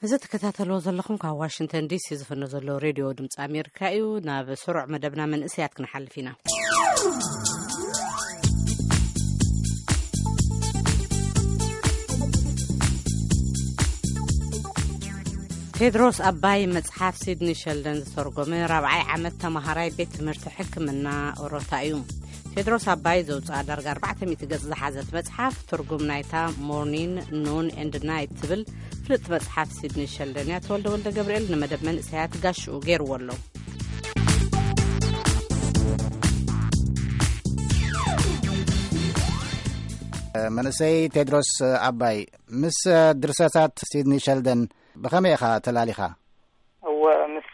እዚ ትከታተልዎ ዘለኹም ካብ ዋሽንግተን ዲሲ ዝፍኖ ዘሎ ሬድዮ ድምፂ ኣሜሪካ እዩ። ናብ ስሩዕ መደብና መንእሰያት ክንሓልፍ ኢና። ቴድሮስ ኣባይ መጽሓፍ ሲድኒ ሸልደን ዝተርጎመ ራብዓይ ዓመት ተማሃራይ ቤት ትምህርቲ ሕክምና ኦሮታ እዩ። ቴድሮስ ኣባይ ዘውፅኣ ዳርጋ ኣርባዕተ ሚእቲ ገጽ ዝሓዘት መጽሓፍ፣ ትርጉም ናይታ ሞርኒን ኑን ኤንድ ናይት ትብል ፍልጥቲ መጽሓፍ ሲድኒ ሸልደን እያ። ተወልደ ወልደ ገብርኤል ንመደብ መንእሰያት ጋሽኡ ገይርዎ ኣሎ። መንእሰይ ቴድሮስ ኣባይ፣ ምስ ድርሰታት ሲድኒ ሸልደን ብኸመይ ኢኻ ተላሊኻ? እወ፣ ምስ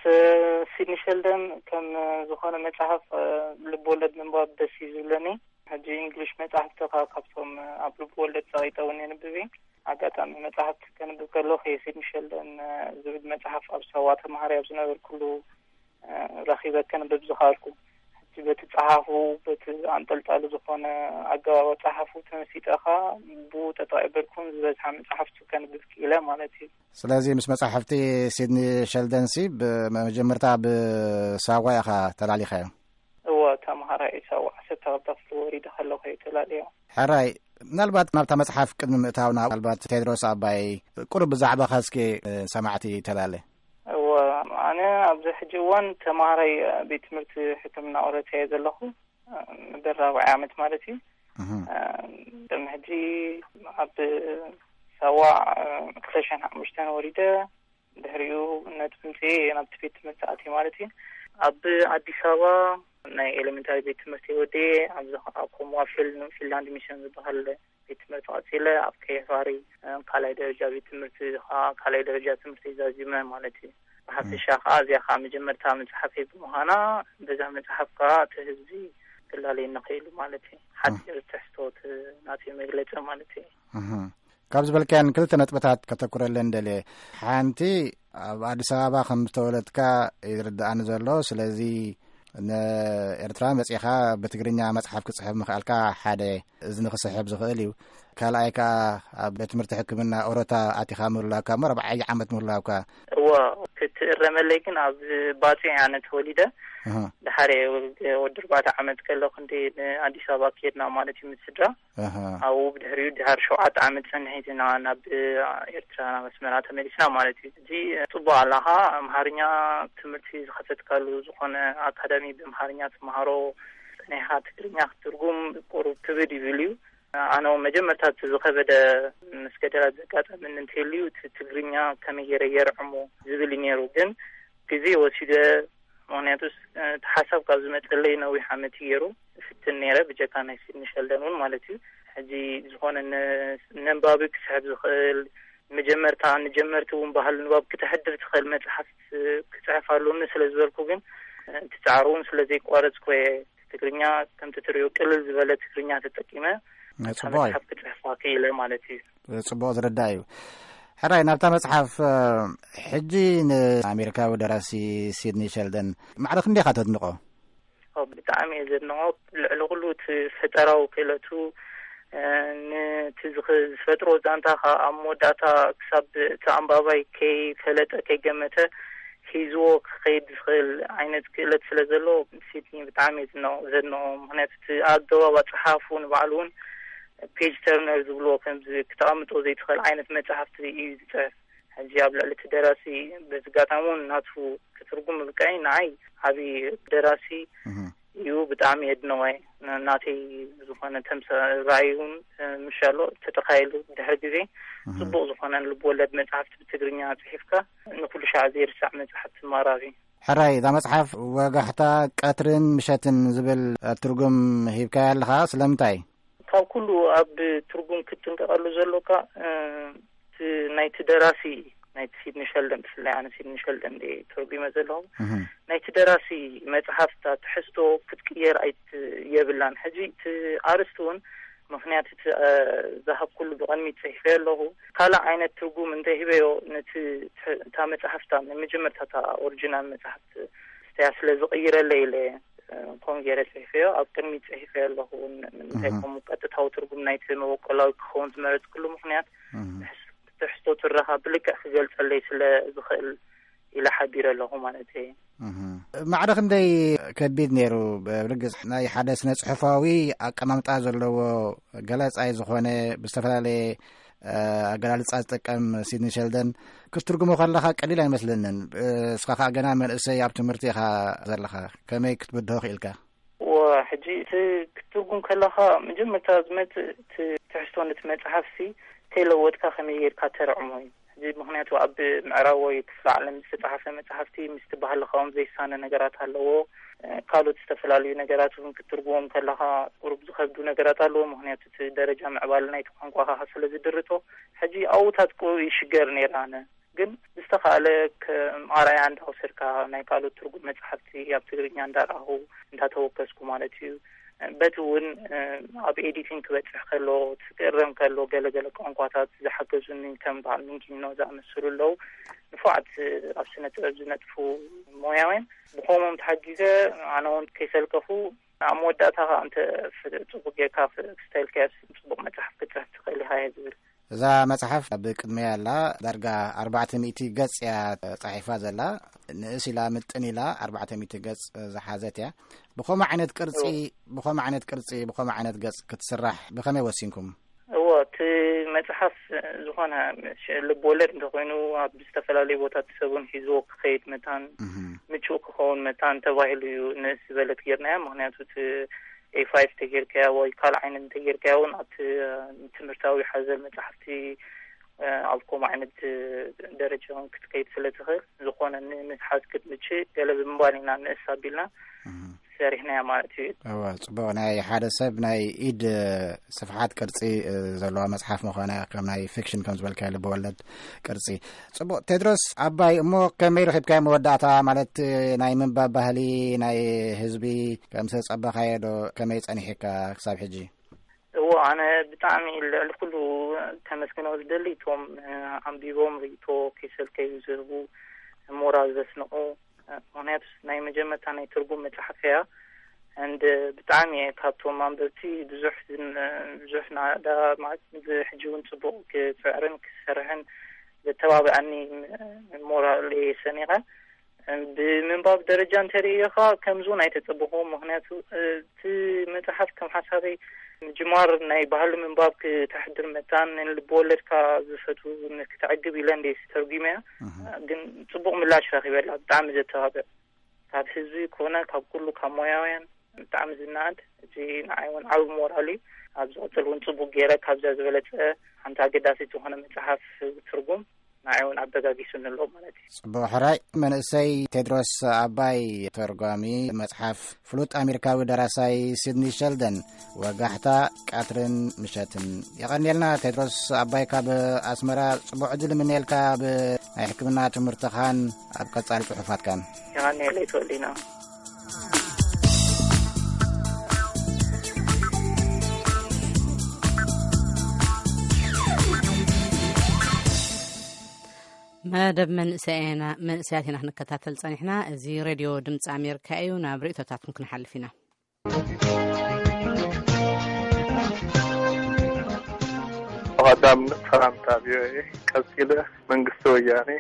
ሲድኒ ሸልደን ከም ዝኾነ መጽሓፍ ልብ ወለድ ምንባብ ደስ እዩ ዝብለኒ። ሕጂ እንግሊሽ መጽሓፍቲ ካብ ካብቶም ኣብ ልብ ወለድ ጸቒጠ እውን የንብብ እየ። ኣጋጣሚ መጽሓፍቲ ከንብብ ከለኹ እየ ሲድኒ ሸልደን ዝብል መጽሓፍ ኣብ ሳዋ ተማሃሪ ኣብ ዝነበርኩሉ ረኺበ ከንብብ ዝኸኣልኩ። ሕጂ በቲ ጸሓፉ፣ በቲ ኣንጠልጣሊ ዝኾነ ኣገባብ ኣጸሓፉ ተመሲጠ ኸኣ ብኡ ጠጠቕ ኣይበልኩን ዝበዝሓ መጽሓፍቱ ከንብብ ክኢለ ማለት እዩ። ስለዚ ምስ መጻሕፍቲ ሲድኒ ሸልደንሲ ብመጀመርታ ብሳዋ ኢኻ ተላሊኻዮ? እወ፣ ተምሃራይ ሳዋ ዓሰርተ ክልተ ክፍሊ ወሪደ ከለኹ እየ ተላልዮ። ሕራይ፣ ምናልባት ናብታ መጽሓፍ ቅድሚ ምእታውና፣ ምናልባት ቴድሮስ ኣባይ ቁሩብ ብዛዕባኻ እስኪ ሰማዕቲ ተላለ። እወ፣ ኣነ ኣብዚ ሕጂ እዋን ተምሃራይ ቤት ትምህርቲ ሕክምና ኦሮታ እየ ዘለኹ። መበል ራብዓይ ዓመት ማለት እዩ። እህ። ቅድሚ ሕጂ ኣብ ሳዋ ክልተ ሽሕን ሓሙሽተን ወሪደ፣ ድሕሪኡ ነጥቢ ምፅኤ ናብቲ ቤት ትምህርቲ ኣትየ ማለት እዩ። ኣብ ኣዲስ ኣበባ ናይ ኤሌመንታሪ ቤት ትምህርቲ ወዲኤ፣ ኣብዚ ከዓ ኮምዋ ፊል-፣ ፊንላንድ ሚሽን ዝበሃል ቤት ትምህርቲ ቀፂለ፣ ኣብ ከየፋሪ ካልኣይ ደረጃ ቤት ትምህርቲ ከዓ፣ ካልኣይ ደረጃ ትምህርቲ ዛዚመ ማለት እዩ። ብሓፈሻ ከዓ እዚኣ ከዓ መጀመርታ መፅሓፈይ ብምዃና፣ በዛ መፅሓፍ ከዓ እቲ ህዝቢ ክላለየኒ ክኢሉ ማለት እዩ። ሓፂር ትሕዝቶ እቲ ናተይ መግለፂ ማለት እዩ። እህ። ካብ ዝበልካየን ክልተ ነጥብታት ከተኩረለን ደልየ። ሓንቲ፣ ኣብ ኣዲስ ኣበባ ከም ዝተወለድካ ይርድኣኒ ዘሎ። ስለዚ ንኤርትራ መጺኻ ብትግርኛ መጽሓፍ ክጽሕፍ ምኽኣልካ ሓደ እዝኒ ክስሕብ ዝኽእል እዩ። ካልኣይ ከኣ ኣብ ቤት ትምህርቲ ሕክምና ኦሮታ ኣቲኻ ምህላውካ እሞ ራብዓይ ዓመት ምህላውካ። እወ፣ ክትእረመለይ ግን ኣብ ባጽዕ ኣነ ተወሊደ። ኣሃ። ድሓር ወዲ ኣርባዕተ ዓመት ከለኹ እንዲ ንኣዲስ ኣበባ ከድና ማለት እዩ ምስ ስድራ። ኣሃ። ኣብኡ ብድሕሪኡ ድሓር ሸውዓተ ዓመት ጸኒሐ ኢና ናብ ኤርትራ ናብ ኣስመራ ተመሊስና ማለት እዩ። ሕጂ ጽቡቕ ኣለኻ፣ ኣምሓርኛ ትምህርቲ ዝኸፈትካሉ ዝኾነ ኣካዳሚ ብኣምሓርኛ ትመሃሮ ጸኒሕካ ትግርኛ ክትትርጉም ቁሩብ ክብድ ይብል እዩ። ኣነ እውን መጀመርታ እቲ ዝኸበደ ምስ ገደላት ዘጋጠመኒ እንተልዩ እቲ ትግርኛ ከመይ ገይረ የርዕሞ ዝብል እዩ ነይሩ። ግን ግዜ ወሲደ፣ ምኽንያቱስ እቲ ሓሳብ ካብ ዝመጸለይ ነዊሕ ዓመት እዩ ገይሩ። እፍትን ነይረ ብጀካ ናይ ሲድኒ ሸልደን እውን ማለት እዩ። ሕጂ ዝኾነ ነ-፣ ነንባቢ ክስሕብ ዝኽእል፣ መጀመርታ ንጀመርቲ እውን ባህሊ ንባብ ክተሕድር ትኽእል መጽሓፍ ክጽሕፍ ኣለኒ ስለ ዝበልኩ ግን እቲ ጻዕሪ እውን ስለ ዘይቋረጽኩ እየ ትግርኛ ከምቲ ትሪኦ ቅልል ዝበለ ትግርኛ ተጠቂመ ናይ እታ ጽቡቕ እዩ። መጽሓፍ ክጽሕፋ ክኢለ ማለት እዩ። ጽቡቕ ዝርዳእ እዩ። ሕራይ፣ ናብታ መጽሓፍ፣ እ፣ ሕጂ ንኣሜሪካዊ ደራሲ ሲድኒ ሸልደን ማዕረ ክንደይ ኢኻ ተድንቖ? ኦ፣ ብጣዕሚ እየ ዘድንቖ። ልዕሊ ኩሉ እቲ ፈጠራዊ ክእለቱ፣ እ፣ ነቲ ዝኽ-፣ ዝፈጥሮ ዛንታ ከኣ ኣብ መወዳእታ ክሳብ እቲ ኣንባባይ ከይፈለጠ፣ ከይገመተ ሒዝዎ ክኸይድ ዝኽእል ዓይነት ክእለት ስለ ዘለዎ፣ ሲድኒ ብጣዕሚ እየ ዝድንቖ፣ ዘድንቖ። ምኽንያቱ እቲ ኣገባብ ኣጸሓሕፍኡ ንባዕሉ እውን ፔጅ ተርነር ዝብልዎ፣ ከምዚ ክተቐምጦ ዘይትኽእል ዓይነት መጽሓፍቲ እዩ ዝጽሕፍ። ሕጂ ኣብ ልዕሊ እቲ ደራሲ በዚ ኣጋጣሚ እውን ናቱ ክትርጉም ምብቃይ ንዓይ ዓቢ ደራሲ እህ። እዩ። ብጣዕሚ የድንቖ እየ። ን-፣ ናተይ ዝኾነ ተምሳ-፣ ራእይ እውን፣ እ፣ ምሻሎ ተተኻይሉ ድሕሪ ግዜ እህ። ጽቡቕ ዝኾነ ልብ ወለድ መጽሓፍቲ ብትግርኛ ጽሒፍካ ንኩሉ ሻዕ ዘይርሳዕ መጽሓፍቲ ማራኺ። ሕራይ፣ እዛ መጽሓፍ ወጋሕታ፣ ቀትርን ምሸትን ዝብል፣ እ፣ ትርጉም ሂብካያ ኣለኻ። ስለምንታይ? ካብ ኩሉ ኣብ ትርጉም ክትጥንቀቐሉ ዘሎካ፣ እ፣ እቲ ናይቲ ደራሲ፣ ናይቲ ሲድኒ ሸልደን፣ ብፍላይ ኣነ ሲድኒ ሸልደን እየ ተርጒመ ዘለኹ። እህ። ናይቲ ደራሲ መጽሓፍ እታ ትሕዝቶ ክትቅየር ኣይት-፣ የብላን። ሕጂ እቲ ኣርእስቲ እውን ምኽንያት እቲ፣ እ፣ ዝሃብኩሉ ብቕድሚት ጽሒፈዮ ኣለኹ። ካልእ ዓይነት ትርጉም እንተሂበዮ ነቲ ትሕ-፣ እታ መጽሓፍ እታ ናይ መጀመርታ እታ ኦሪጂናል መጽሓፍ እስትያ ስለ ዝቕይረለይ ኢለ፣ እ፣ ከምኡ ገይረ ጽሒፈዮ። ኣብ ቅድሚት ጽሒፈዮ ኣለኹ እውን ንምንታይ እህ። ከምኡ ቀጥታዊ ትርጉም ናይቲ መበቆላዊ ክኸውን ዝመረጽኩሉ ምኽንያት እህ። ትሕዝ-፣ ትሕዝቶ ትረኻ ብልክዕ ክገልጸለይ ስለ ዝኽእል ኢለ ሓቢረ ኣለኹ ማለት እየ። እህ። ማዕረ ክንደይ ከቢድ ነይሩ? ብርግጽ ናይ ሓደ ስነ ጽሑፋዊ ኣቀማምጣ ዘለዎ ገለጻይ ዝኾነ ብዝተፈላለየ፣ እ፣ ኣገላልጻ ዝጥቀም ሲድኒ ሸልደን ክትትርጉሞ ከለኻ ቀሊል ኣይመስለንን። እ፣ እስኻ ከኣ ገና መንእሰይ ኣብ ትምህርቲ ኢኻ ዘለኻ። ከመይ ክትብድሆ ክኢልካ? እወ፣ ሕጂ እቲ ክትትርጉም ከለኻ መጀመርታ ዝመጽእ እቲ ትሕዝቶ ነቲ መጽሓፍሲ ከይለወጥካ ከመይ ጌርካ ተርዕሞ እዩ። ሕጂ ምኽንያቱ ኣብ ምዕራባዊ ክፍለ ዓለም ዝተጻሓፈ መጽሓፍቲ ምስቲ ባህልኻ እውን ዘይሳነ ነገራት ኣለዎ። እ፣ ካልኦት ዝተፈላለዩ ነገራት እውን ክትትርጉሞም ከለኻ ቁሩብ ዝኸብዱ ነገራት ኣለዎ። ምኽንያቱ እቲ ደረጃ ምዕባለ ናይቲ ቋንቋኻ ስለ ዝድርቶ። ሕጂ ኣብኡታት ቁሩብ ይሽገር ነይረ ኣነ። ግን ዝተኻእለ ከም ኣርኣያ እንዳወሰድካ ናይ ካልኦት ትርጉም መጽሓፍቲ ኣብ ትግርኛ እንዳረኣኹ እንዳተወከስኩ ማለት እዩ። በቲ እውን፣ እ፣ ኣብ ኤዲቲንግ ክበጽሕ ከሎ፣ ክእረም ከሎ ገለ ገለ ቋንቋታት ዝሓገዙኒ ከም በዓል ሚንኪኖ ዝኣመሰሉ ኣለዉ። ንፉዓት ኣብ ስነ ጥበብ ዝነጥፉ ሞያውያን ብኸምኦም ተሓጊዘ ኣነ እውን ከይሰልከፉ ኣብ መወዳእታ ከኣ እንተ ፍ-፣ ጽቡቅ ጌርካ ፍ-፣ ስታይልካ ጽቡቅ መጽሓፍ ክትጽሕፍ ትኽእል ኢኻ እየ ዝብል። እዛ መጽሓፍ ኣብ ቅድመያ ኣላ። ዳርጋ ኣርባዕተ ሚእቲ ገጽ እያ ጻሒፋ ዘላ። ንእስ ኢላ ምጥን ኢላ ኣርባዕተ ሚእቲ ገጽ ዝሓዘት እያ። ብኸምኡ ዓይነት ቅርጺ፣ እዎ። ብኸምኡ ዓይነት ቅርጺ፣ ብኸምኡ ዓይነት ገጽ ክትስራሕ ብኸመይ ወሲንኩም? እዎ፣ እቲ መጽሓፍ ዝኾነ ሽ-፣ ልብ ወለድ እንተኾይኑ ኣብ ዝተፈላለዩ ቦታት ሰቡን ሒዝዎ ክኸይድ መታን እህ። ምቹእ ክኸውን መታን ተባሂሉ እዩ ንእስ ዝበለት ጌርናያ። ምኽንያቱ እቲ ኤ ፋይቭ እንተጌርካያ ወይ ካልእ ዓይነት እንተጌርካያ እውን ኣብቲ፣ እ፣ ትምህርታዊ ሓዘል መጻሕፍቲ፣ እ፣ ኣብ ከምኡ ዓይነት፣ እ፣ ደረጃ እውን ክትከይድ ስለ ትኽእል፣ ዝኾነ ን-፣ ንሓዝ ክትምችእ ገለ ብምባል ኢና ንእስ ኣቢልና እህ። ሰሪሕናያ ማለት እዩ። እወ፣ ጽቡቕ። ናይ ሓደ ሰብ ናይ ኢድ፣ እ፣ ስፍሓት ቅርጺ፣ እ፣ ዘለዋ መጽሓፍ ምዃና፣ ከም ናይ ፊክሽን ከም ዝበልካዮ ልበወለድ ቅርጺ። ጽቡቕ። ቴድሮስ ኣባይ፣ እሞ ከመይ ረኺብካዮ መወዳእታ? ማለት፣ ናይ ምንባብ ባህሊ ናይ ህዝቢ ከም ዝተጸበኻዮ ዶ? ከመይ ጸኒሕካ ክሳብ ሕጂ? እዎ፣ ኣነ ብጣዕሚ ልዕሊ ኩሉ ከመስግኖ ዝደሊ እቶም፣ እ፣ ኣንቢቦም ርእይቶ ከይሰልከዩ ዝህቡ፣ ሞራል ዘስንቑ፣ እ፣ ምኽንያቱ ናይ መጀመርታ ናይ ትርጉም መጽሓፍ እያ። እንድ ብጣዕሚ እየ ካብቶም ኣንበብቲ ብዙሕ ዝን-፣ ብዙሕ ናዳ ማለት፣ እዚ ሕጂ እውን ጽቡቕ ክጽዕርን ክሰርሕን ዘተባብዐኒ ሞራል እየ ሰኒቐ። ብምንባብ ደረጃ እንተርእዮ ኸኣ ከምዚ እውን ኣይተጸበኹዎ። ምኽንያቱ፣ እ፣ እቲ መጽሓፍ ከም ሓሳበይ ምጅማር ናይ ባህሊ ምንባብ ክተሕድር መታን ንልቢ ወለድካ ዝፈትዉ ን-፣ ክተዕግብ ኢለ እንደ ተርጒመያ። እህ። ግን ጽቡቕ ምላሽ ረኺበላ። ብጣዕሚ ዘተባብዕ። ካብ ህዝቢ ኮነ ካብ ኩሉ ካብ ሞያውያን ብጣዕሚ ዝነኣድ። እዚ ንዓይ እውን ዓቢ ሞራል እዩ። ኣብ ዝቕጽል እውን ጽቡቕ ገይረ ካብዛ ዝበለጸ ሓንቲ ኣገዳሲት ዝኾነ መጽሓፍ ትርጉም ንዓይ እውን ኣበጋጊሱኒ ኣሎ ማለት እዩ። ጽቡቕ። ሕራይ መንእሰይ ቴድሮስ ኣባይ፣ ተርጓሚ መጽሓፍ ፍሉጥ ኣሜሪካዊ ደራሳይ ሲድኒ ሸልደን፣ ወጋሕታ ቀትርን ምሸትን። የቐንየልና ቴድሮስ ኣባይ ካብ ኣስመራ። ጽቡቕ ዕድል እምነየልካ ኣብ ናይ ሕክምና ትምህርትኻን ኣብ ቀጻሊ ጽሑፋትካን። የቐንየለይ ተወሊና። መደብ መንእሰያትና፣ መንእሰያት ኢና ክንከታተል ጸኒሕና። እዚ ሬድዮ ድምፂ ኣሜሪካ እዩ። ናብ ርእይቶታትኩም ክንሓልፍ ኢና። ቀዳም ሰላምታ ቪኦኤ፣ ቀጺለ መንግስቲ ወያኔ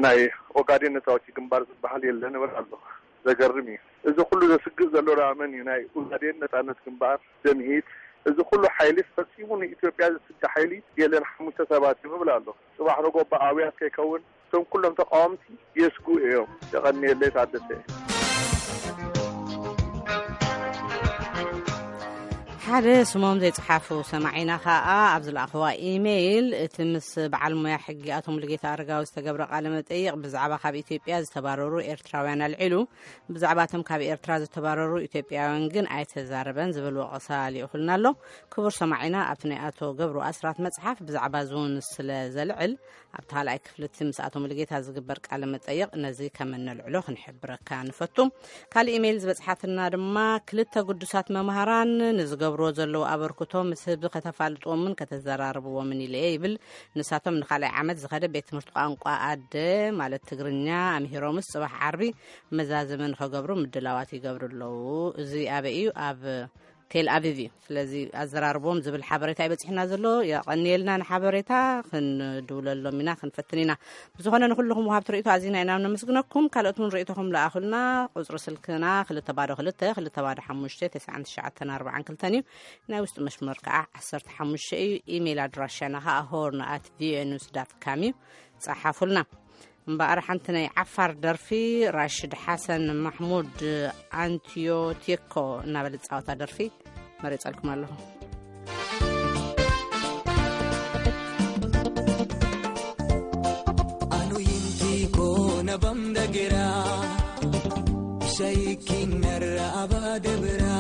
ናይ ኦጋዴን ነጻ ኣውጪ ግንባር ዝበሃል የለን እብል ኣለኹ። ዘገርም እዩ። እዚ ኩሉ ዘስግእ ዘሎ ደኣ መን እዩ? ናይ ኡጋዴን ነጻነት ግንባር፣ ደምሂት። እዚ ኩሉ ሓይሊ ፈጺሙ ንኢትዮጵያ ዝስጋ ሓይሊ የለን፣ ሓሙሽተ ሰባት እዮም እብል ኣለኹ። ጽባሕ ረጎባ ኣብያት ከይከውን እቶም ኩሎም ተቃወምቲ የስግኡ እዮም። የቐንየለይ ታደሰ። ሓደ ስሞም ዘይጸሓፉ ሰማዒና ከኣ ኣብ ዝለኣኽዋ ኢሜይል፣ እቲ ምስ በዓል ሞያ ሕጊ ኣቶ ሙሉጌታ ኣረጋዊ ዝተገብረ ቃለ መጠይቕ ብዛዕባ ካብ ኢትዮጵያ ዝተባረሩ ኤርትራውያን ኣልዒሉ፣ ብዛዕባ እቶም ካብ ኤርትራ ዝተባረሩ ኢትዮጵያውያን ግን ኣይተዛረበን ዝብል ወቐሳ ልኢኹልና ኣሎ። ክቡር ሰማዒና፣ ኣብቲ ናይ ኣቶ ገብሩ ኣስራት መጽሓፍ ብዛዕባ እዚ እውን ስለ ዘልዕል፣ ኣብቲ ካልኣይ ክፍሊ እቲ ምስ ኣቶ ሙሉጌታ ዝግበር ቃለ መጠይቕ ነዚ ከም እነልዕሎ ክንሕብረካ ንፈቱ። ካልእ ኢሜይል ዝበጽሓትና ድማ፣ ክልተ ግዱሳት መምሃራን ንዝገብርዎ ዘለዉ ኣበርክቶ ምስ ህዝቢ ከተፋልጥዎምን ከተዘራርብዎምን ኢለ እየ ይብል። ንሳቶም ንኻልኣይ ዓመት ዝኸደ ቤት ትምህርቲ ቋንቋ ኣደ፣ ማለት ትግርኛ፣ ኣምሂሮምስ ጽባሕ ዓርቢ መዛዘሚ ንኸገብሩ ምድላዋት ይገብሩ ኣለዉ። እዚ ኣበይ እዩ? ኣብ ቴል ኣቪቭ እዩ። ስለዚ ኣዘራርቦም ዝብል ሓበሬታ ይበፅሕና ዘሎ። የቐንየልና ንሓበሬታ፣ ክንድውለሎም ኢና፣ ክንፈትን ኢና። ብዝኾነ ንኩልኹም ወሃብቲ ርእይቶ ኣዚና ኢና ነመስግነኩም። ካልኦት እውን ርእይቶኹም ለኣኹልና። ቁፅሪ ስልክና ክልተ ባዶ ክልተ፣ ክልተ ባዶ ሓሙሽተ፣ ተስዓን ትሽዓተን ኣርባዓን ክልተን እዩ። ናይ ውሽጢ መስመር ከዓ ዓሰርተ ሓሙሽተ እዩ። ኢሜይል ኣድራሻና ከዓ ሆርን ኣት ቪኦኤ ኒውስ ዳት ካም እዩ። ጸሓፉልና። እምበኣር ሓንቲ ናይ ዓፋር ደርፊ፣ ራሽድ ሓሰን ማሕሙድ ኣንቲዮቴኮ እናበለ ዝጻወታ ደርፊ መሪጸልኩም ኣለኹ። Anu yinti ko na bam da gira, shaikin narra abade bira.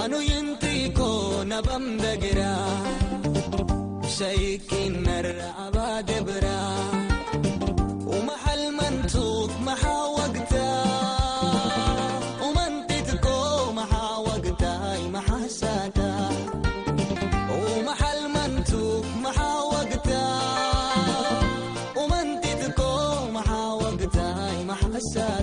Anu yinti ko na bam da gira, shaikin narra abade bira. Uma halman tuk mahawagta, umantit ko mahawagta, mahasata. Uma halman tuk mahawagta, umantit ko mahawagta, mahasata.